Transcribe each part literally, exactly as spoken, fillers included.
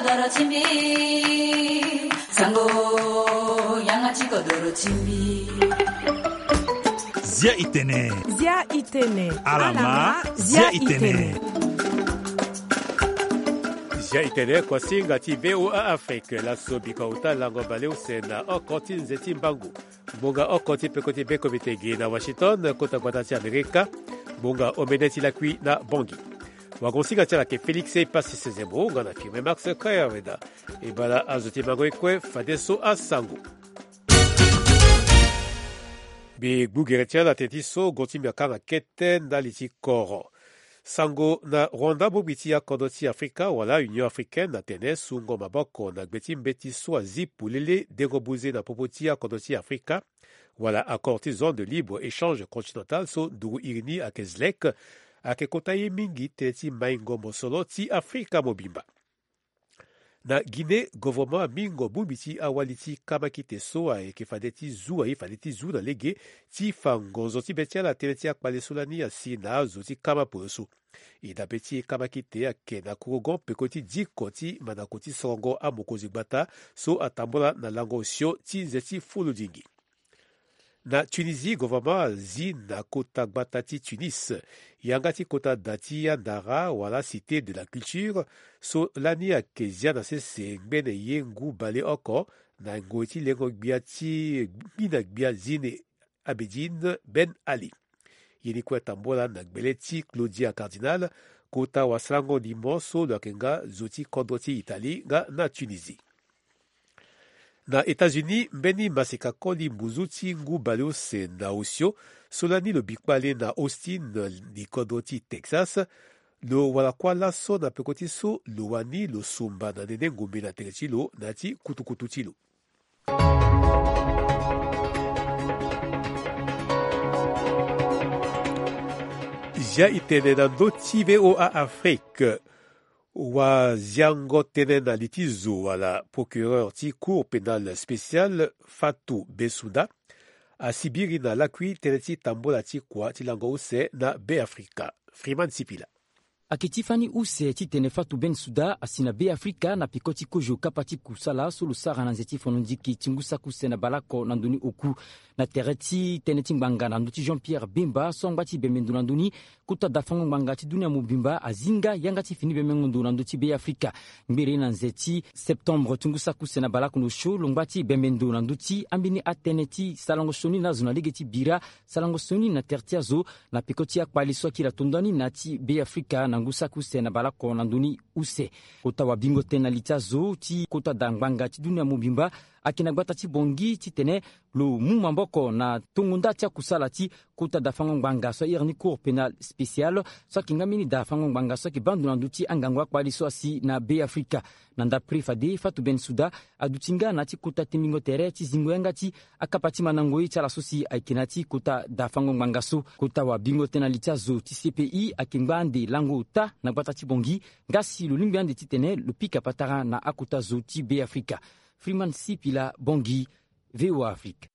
Doro ti mbi, sango, yanga ti kodoro ti mbi. Zia itene. Zia itene. Alama, zia itene. Zia itene, kuasinga ti V O A Afrique, laso bika uta lango baleuse na oko ti nze ti mbangu. Ngbonga oko ti peko ti be komite gi na Washington, kota gbata ti Amerika. Ngbonga omene ti lakui na Bongi. Wagonsinga ti ala ke Félix Epassi Sezemo, nga na Firmin Max Kayaveda. E bala azo ti mango e kue fadeso asango. Mbi gbu gere ti ala teti so gonti mbi akanga kete ndali ti koro. Sango na Rwanda, bongbi ti akodro ti Afrika wala Union Africaine atene sungo maboko na gbe ti mbeti so azi polele dengo buze na popo ti akodro ti Afrika, wala accord ti zone de libre échange continental so nduru iri ni ayeke ZLEC, ayeke kota ye mingi tënë ti maingo mosoro ti Afrika mobimba. Na Guinée, governement amingo bongbi ti awali ti kamakite so ayeke fade ti zu, aye fade ti zu na lege ti fa ngonzo ti be ti ala tënë ti akpale so lani asi na azo ti kama poroso. E dabe ti kamakite ayeke na kurugon peko ti diko ti mandako ti sorongo amokonzi gbata so atambula na lango osio ti nze ti fuludingi. Na Tunisie, governement azi na kota gbata ti Tunis yanga ti kota da ti andara wala Cité de la Culture so lani ayeke zia na sese ngbene ye ngu baleoko na ngoi ti lengo gbia ti gbina gbia Zine Abidine Ben Ali. Ye ni kue atambula na gbele ti Claudia Cardinal, kota wasarango limo so lo yeke nga zo ti kodro ti Italie nga na Tunisie. Na États-Unis, mbeni maseka koli mbuzu ti ngu baleuse na osio so lani lo bi kpale na Austin, li kodro ti Texas, lo wara kuâ laso na peko ti so lo wani lo sumba na nene ngombe na tere ti lo na ya ti kutukutu ti lo. Zia itene na ndö ti V O A Afrique. Waziango tënë na li ti zo wala procureur ti Cour pénale spéciale, Fatou Bensouda, asibiri na lakui tënë ti tambola ti kua ti lango use na Beafrika. Freeman Sipila. Ayeke ti fani use titene Fatou Bensouda asi na Beafrika na peko ti kozo kapa ti kusala so lo sara na nze ti fono nziki ti ngu saki use na baleoko na ndoni oku. Na tere ti tënë ti ngbanga na ndö ti Jean Pierre Bemba so angba ti bembe ndo na ndö ni, kota dafango ngbanga ti dunia mobimba azi nga yanga ti fini bembengo ndo na ndö ti Beafrika. Ngbere na nze ti septembre ti ngu saki use na baleoko na osio lo ngba ti bembe ndo na ndö ti ambeni atënë ti sarango sioni na azo na lege ti bira, sarango sioni na tere ti azo na peko ti akpale so akiri ato ndani na ya ti Beafrika na ngu saki use na baleoko na ndö ni use. Kota wabingo tënë na li ti azo ti kota da ngbanga ti dunia mobimba ayeke na gbata ti Bangui titene lo mu maboko na tongo nda ti akusala ti kota dafango ngbanga so airi ni Cour pénale spéciale, so ayeke nga mbeni dafango ngbanga so ayeke baa ndo na ndö ti angangu akpale so asi na Beafrika. Na ndapre fade, Fatou Bensouda aduti nga na ya ti kota tembingo tere ti zingo yanga ti akapa ti mandango ye ti ala so si ayeke na ya ti kota dafango ngbanga so. Kota wabingo tënë na li ti azo ti C P I ayeke ngba ande lango ota na gbata ti Bangui, nga si lo lingbi ande titene lo pika patara na akota zo ti Beafrika. Freeman Sipila, Bangui, V O A Afrique.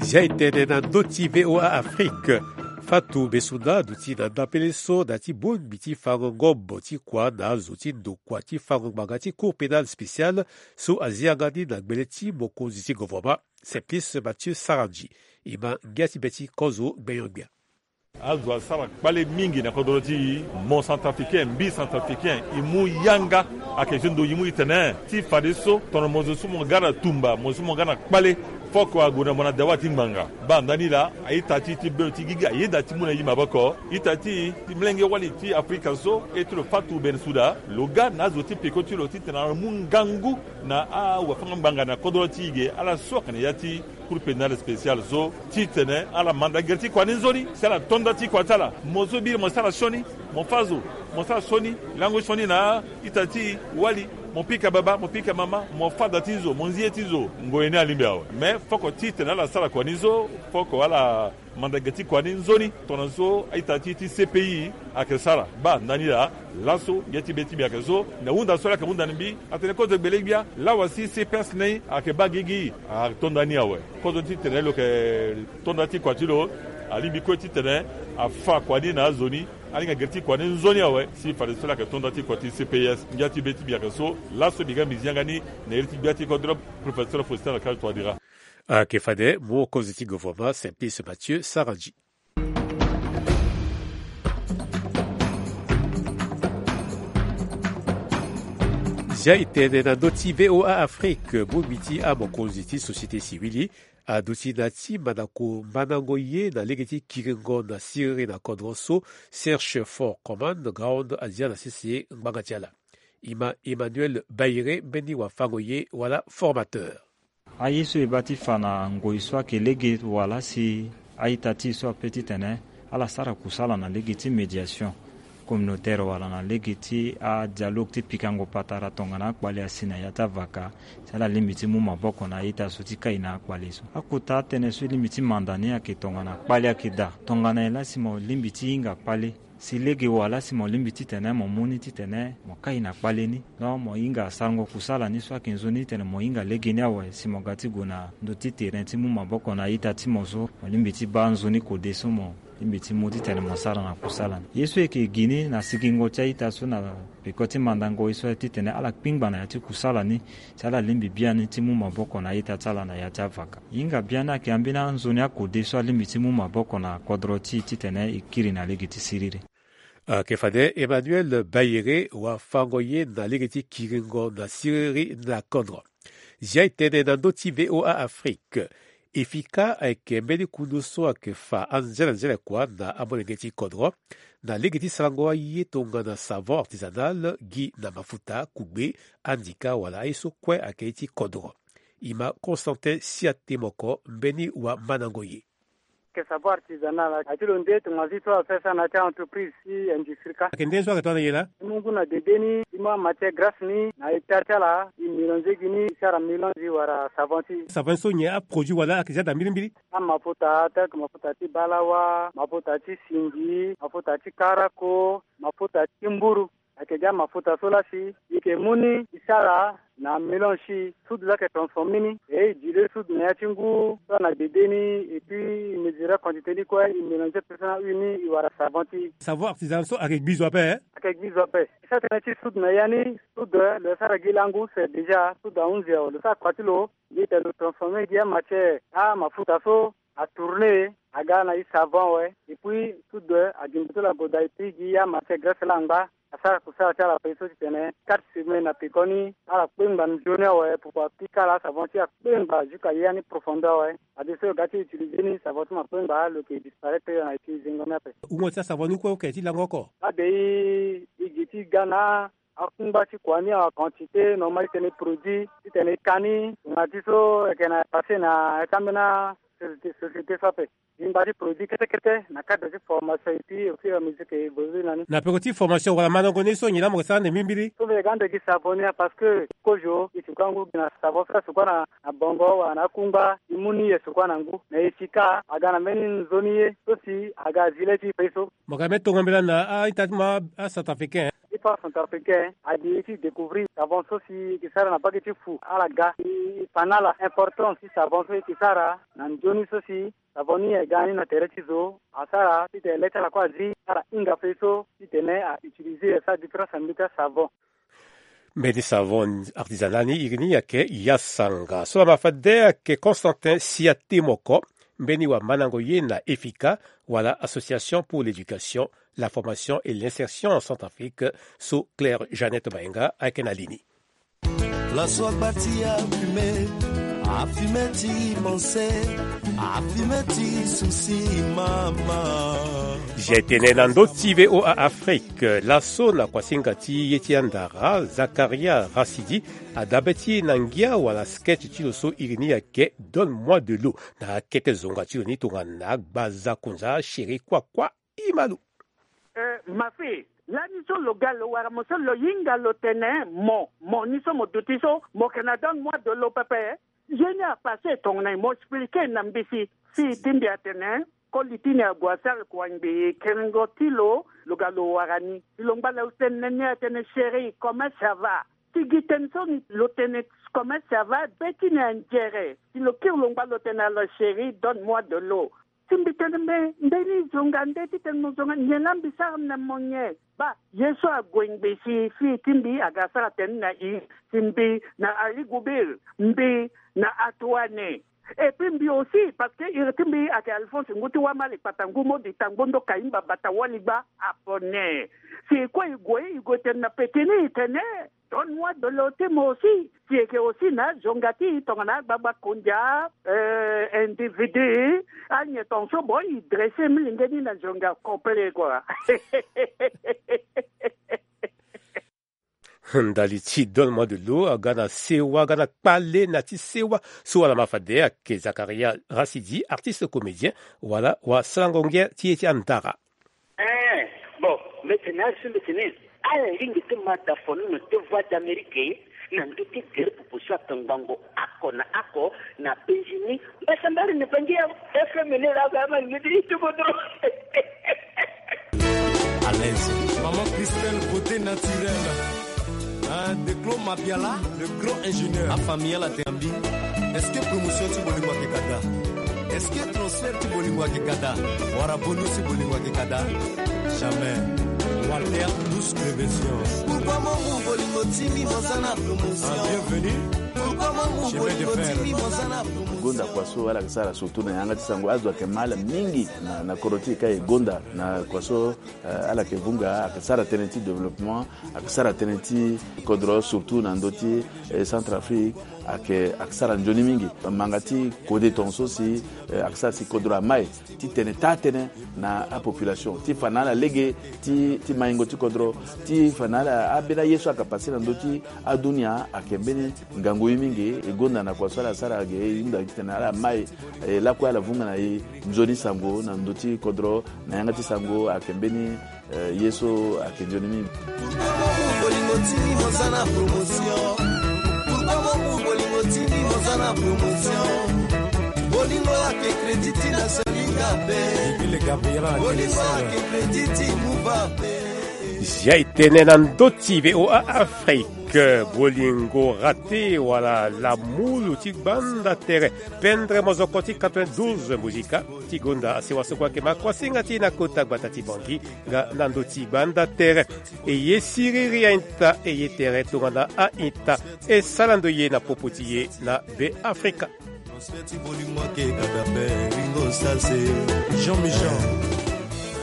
Zia itene na ndö ti V O A Afrique. Fatou Bensouda aduti na ndapele so na ya ti bongbi ti fango ngombo ti kua na azo ti ndokua ti fango ngbanga ti Cour pénale spéciale so azi yanga ni na gbele ti mokonzi ti governement, Simplice Mathieu Sarandji. E ma ngia ti be ti kozo gbenyo-gbia. Azo asara kpale mingi na kodro ti e. Mo centrafricain, mbi centrafricain, e mu yanga. Ayeke ti ndo e mu titene ti fadeso tongana mo zo so mo ga na tumba, mo zo so mo ga na kpale, foko ague na mo na dawa ti ngbanga. Baa ndani laa, a-ita ti e ti bê ti gigi ayeda ti mu na e maboko. Ita ti e ti molenge wali ti Afrika so, e ti lo Fatou Bensouda, lo ga na azo ti peko ti lo titene ala mu ngangu na awafango-ngbanga na kodro ti e ge, ala so ayeke na ya ti Cour pénale spéciale so, titene ala manda gere ti kua ni nzoni, si ala to nda ti kua ti ala. Mo so biri mo sara sioni, mo fâ zo, mo sara sioni, lango sioni na a-ita ti e, wali, mo pika baba, mo pika mama, mo fâ da ti zo, mo nzi ye ti zo, ngoi ni alingbi awe. Me foko titene ala sara kua ni so, foko ala manda gere ti kua ni nzoni, tongana so a-ita ti e ti C P I ayeke sara. Baa ndani laa, laso ngia ti be ti mbi ayeke so, na hunda so ala yeke hunda na mbi, atene kozo gbele-gbia, lawa si C P S ni ayeke baa gigi, ato nda ni awe. Kozo titene lo yeke to nda ti kua ti lo, alingbi kue titene Afa kua ni na azo ni, alinga gere ti kua ni nzoni awe si fadeso laa ayeke to nda ti kua ti C P S. Ngia ti be ti mbi ayeke so, laso mbi ga mbi zi yanga ni na iri ti gbia ti kodro, Professeur Faustin Archange Touadéra. Ayeke fade mokonzi ti gouvernement Simplice Mathieu Sarandji. Zia e tene na ndö ti V O A Afrique, bongbi ti amokonzi ti société civile aduti na ti mandako mandango ye na lege ti kiringo na siriri na kodro so, Serge Fort Command Ground azia na sese ngbanga ti ala. E ma Emmanuel Bayere mbeni wafango ye wala formateur. Aye so e baa ti fa na ngoi so ayeke lege wala si a-ita ti e so ape titene ala sara kusala na lege ti médiation communautaire wala na lege ti adialogue ti pikango patara tongana akpale asi na ya ti avaka, si ala lingbi ti mu maboko na a-ita so ti kai na akpale so. Akota atënë so e lingbi ti manda ni ayeke tongana kpale ayeke daa. Tongana nyen laa si mo lingbi ti hinga kpale? Si lege wala si mo lingbi titene mo mu ni titene mo kai na kpale ni. Donc mo hinga sarango kusala ni so ayeke nzoni titene mo hinga lege ni awe si mo ga ti gue na ndö ti terrain ti mu maboko na a-ita ti mo so, mo lingbi ti baa nzoni kode so mo lingbi ti mu titene mo sara na kusala ni. Ye so e yeke gi ni na sigingo ti a-ita so na peko ti mandango ye so aye titene ala kpingba na ya ti kusala ni, si ala lingbi biani ti mu maboko na a-ita ti ala na ya ti avaka. E hinga biani ayeke ambeni anzoni akode so alingbi ti mu maboko na kodro ti e titene e kiri na lege ti siriri. Ayeke fade Emmanuel Bayere wafango ye na lege ti kiringo na siriri na kodro. Zia e tene na ndö ti V O A Afrique. Efika ayeke mbeni kundu so ayeke fa anzenanzene kua na amolenge ti kodro na lege ti sarango aye tongana savon artisanal gi na mafuta, kugbe, andika wala aye so kue ayeke ye ti kodro. E ma Constantin Siate Moko mbeni wamandango ye. Ke savon artisanal aye ti lo nde tongana ti so afe sara na ya ti a-entreprise ti industrie ka. Ayeke nde so ayeke tongana nyen laa? E mu ngu na dede ni, e mu amatière grasse ni na hectare ti ala, e mélange gi ni, e sara mélange wala savon ti e. Savon so nyen aproduit wala ayeke zia daa mbirimbiri? Amafuta tel que mafuta ti balawa, mafuta ti singi, mafuta ti karako, mafuta ti mburu. Ayeke gi amafuta so laa si e yeke mu ni e sara na mélange ti e, soude laa ayeke transformer ni, e e diluer soude na ya ti ngu so na dede ni, et puis e mesurer quantité ni kue, e mélanger personne na huile ni, e wara savon ti e. Savon artisanal so ayeke gbi zo ape, eh? Ayeke gbi zo ape. E sara tënë ti soude na ya ni, soude lo sara gi langu, c'est déjà soude ahunzi awe, lo sara kua ti lo, mbi tene lo transformer gi amatière, amafuta so atourner, aga na e savon awe, et puis soude agingbi ti lo agoda, et puis gi amatière graisse laa angba, asara kusala ti ala ape so titene quatre semaines na pekoni ala kpengba nzoni awe, pourquoi pika ala asavon ti akpengba jusqu'à ya ni profondeur awe. Adeso lo ga ti utiliser ni, savon ti mo akpengba, lo yeke disparaître na e ti zingo ni ape. Wungo ti asavon ni kue oke ti lango oko? Abe e, e gi ti ga na akungba ti kua ni, awa quantité normal titene e produit, titene e ka ni, tongana ti so ayeke na passé na ya ti ambeni asociété, société so ape. Mbi ngba ti produit kete kete na cadre ti formation, et puis au fur et à mesure que e évolue na ni. Na peko ti formation wala mandango ni so nyen laa mo yeke sara ande mbirimbiri? So mbi yeke ga ande gi savon ni, parce que kozo e sukua ngu gi na savon so asukua na, na bongo wala na akungba, e mu ni e sukua na ngu. Mais e si ka aga na mbeni nzoni ye so si aga azi le ti e peso. Mo yeke na mbeni tongo mbela na a-ita ti mo acentrafricain? Ti fa centrafricain adi ti découvrir savon so si e yeke sara na mbage ti fu, ala ga e fa na ala importance ti savon so e yeke sara na nzoni so si savon ni e ga ni na tere ti zo, asara titene le ti ala kue azi, ala hinga fade so titene a utiliser, asara différence na mbeti asavon. Mbeni savon artisanal ni iri ni ayeke Yasanga. So laa ma fade ayeke Constantin Siate Moko, mbeni wamandango ye na EFICA, wala Association pour l'éducation, la formation et l'insertion en Centrafrique, so Claire Jeannette Mayenga ayeke na li ni. Laso agba ti afume, afume ti manse, afume ti susi mama. Zia e tene na ndö ti V O A Afrique, laso na kuasinga ti ye ti andara, Zakaria Rasidi adabe ti e na ngia wala sketch ti lo so iri ni ayeke Donne-moi de l'eau, na akete zonga ti lo ni tongana gbaza kunza chéri kuakua. E ma lo. Eh, ma fille, lani so lo ga lo wara mo so lo hinga lo tene mo, mo ni so mo duti so, mo yeke na donne-moi de l'eau pepe. Ye ni apasse tongana nyen, mo expliquer na mbeti. Fille ti mbi atene, koli ti ni ague asara kua ngbii, kiringo ti lo, lo ga lo wara ni. Si lo ngba lo tene ni atene chéri, comment ça va? Si gi tënë so ni lo tene comment ça va, be ti ni anzere. Si lo kiri lo ngba lo tene alors chéri, donne-moi de l'eau. Si mbi tene mbe, nde ni zonga nde ti tene mo zonga nyen laa mbi sara na mo nyen? Baa, ye so ague ngbe si fii ti mbi aga sara tënë na i, si mbi na Ali Gubir, mbi na Atuane. Et puis mbi aussi, parce que iri ti mbi ayeke Alphonse ngu ti Wamali kpata ngu modi tangbo ndo Kayimba bata wali gba apo ne. Si e kue e gue, e gue tene na pekini e tene, donne-moi de l'eau ti mo aussi. Si e yeke aussi na azonga ti e tongana agbagba kondia, euh, individu, anyen tongaso bon e dresse milenge ni na zonga complet quoi. Ndali ti donne-moi de l'eau aga na sewa, aga na kpale na ti sewa so wala ma fade ayeke Zakaria Rasidi, artiste comédien, wala wasarango ngia ti e ti andara. Eh, bon, mbi tene azo mbi tene ala lingbi ti ma da fono na te Voix d'Amérique na ndö ti gere popo so atongbango oko na oko na penzi ni. Mbasambari ni bangi ya F M ni la ga ma ni ti tubo dro. À l'aise. Maman Christelle, beauté naturelle. Hein, Declo Mabiala, le grand ingénieur. A famille la te ambi. Est-ce que promotion ti bolingo ayeke kada? Est-ce que transfert ti bolingo ayeke kada? Wara bonus ti bolingo ayeke kada? Jamais. Walter, douce prévention. Pourquoi mon bolingo ti mi mo za na promotion? Ah, bienvenue. Pourquoi mon bolingo ti mi mo za na promotion? Gonda kua so ala yeke sara surtout na yanga ti sango, azo ayeke ma ala mingi na, na kodro ti e ka e gonda na kua so, eh, ala yeke vunga, ayeke sara tënë ti développement, ayeke sara tënë ti kodro surtout na ndö ti, eh, Centrafrique, ayeke, ayeke sara nzoni mingi. Manga ti kode tongaso si, eh, ayeke sara si kodro amai ti tene taa tënë na apopulation ti fa na ala lege ti, ti maingo ti kodro, ti fa na ala ambeni aye so ayeke pase na ndö ti adunia ayeke mbeni ngangu ye mingi. E gonda na kua so ala sara ge e hunda titene ala mai, e lakue ala vunga na e nzoni sango na ndö ti kodro na yanga ti sango ayeke mbeni, eh, ye so ayeke nzoni mingi. Pourquoi mon bolingo ti mi mo za na promotion? Pourquoi mon bolingo ti mi mo za na promotion? Bolingo ayeke crédit ti na Salinga pe. Bolingo ayeke crédit ti Mouva pe. Zia e tene na ndö ti V O A Afrique, bolingo rate wala lamulu ti gbanda tere. Pendre mozoko ti quatre-vingt-douze Musica ti gonda asewa so kue ayeke ma kuasinga ti e na kota gbata ti Bangui nga na ndö ti gbanda tere. E ye siriri a-ita, e ye tere tongana a-ita. E sara ndo ye na popo ti e na Be Afrika. Transfert ti bolingo ayeke kada pe, Ringo Sase. Jean Michel.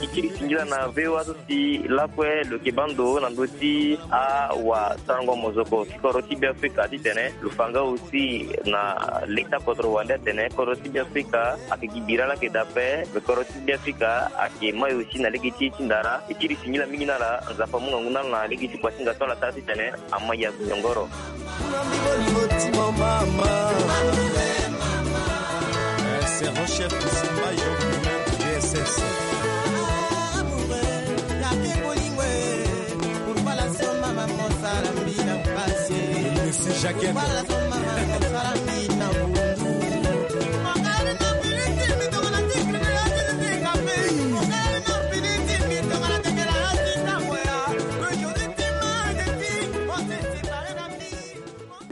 E kiri singila na V O A so si lakue lo yeke baa ndo na ndö ti awasarango mozoko ti kodro ti Be Afrika titene lo fa nga aussi na leta kodro wande atene kodro ti Be Afrika ayeke gi bira laa ayeke daa ape, me kodro ti Be Afrika ayeke mai aussi na lege ti e ti ndara. E kiri singila mingi na ala, Nzapa amu ngangu na ala na lege ti kuasinga so ala sara titene ama ya nyongoro. Eh, sergent chef Simba Jean Bruno, D S S. Monsieur Jacquet.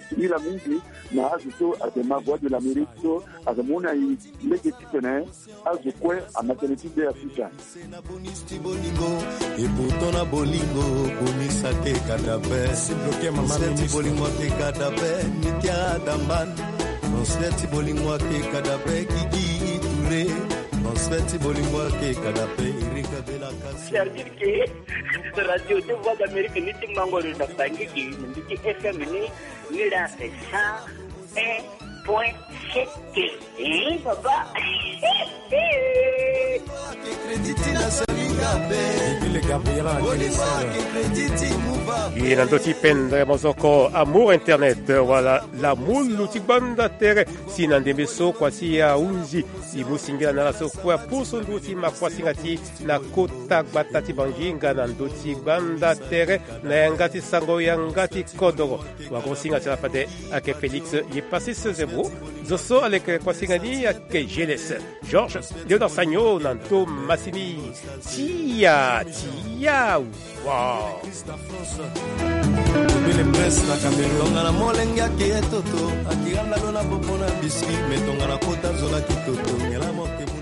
Singila mingi na azo so ayeke ma Voix de l'Amérique so ayeke mu na e lege titene azo kue ama tënë ti Be Afrika. Se na bonus ti bolingo, et pourtant na bolingo bonus ayeke kada pe. Transfert ti bolingo ayeke kada pe, Mitia Damban. Transfert ti bolingo ayeke kada pe, Gigi Touré. Transfert ti bolingo ayeke kada pe, Eric Abela Kassou. C'est-à-dire que radio de Voix d'Amérique ni ti mango lo na Bangui, ni ti F M ni, ni la sa un point sept. Eh, papa. E na ndö ti pendre mozoko Amour Internet wala lamulu ti gbanda tere. Si na ndembe so kuasi ahunzi, e mu singila na ala so kue apusu nduru ti ma kuasinga ti e na kota gbata ti Bangui nga na ndö ti gbanda tere na yanga ti sango yanga ti kodoro. Wagosinga ti ala fade ayeke Félix Yepasis Zebro. Zo so aleke kuasinga ni ayeke G L S, Georges Léonard Sagno na ndo masini. Tia, tia, wa. Bele presse na Cameroun. Tongana molenge ayeke ye toto, ayeke handa lo na popo na biscuit, mais tongana kota zo la ki toto, nyen la mo yeke mu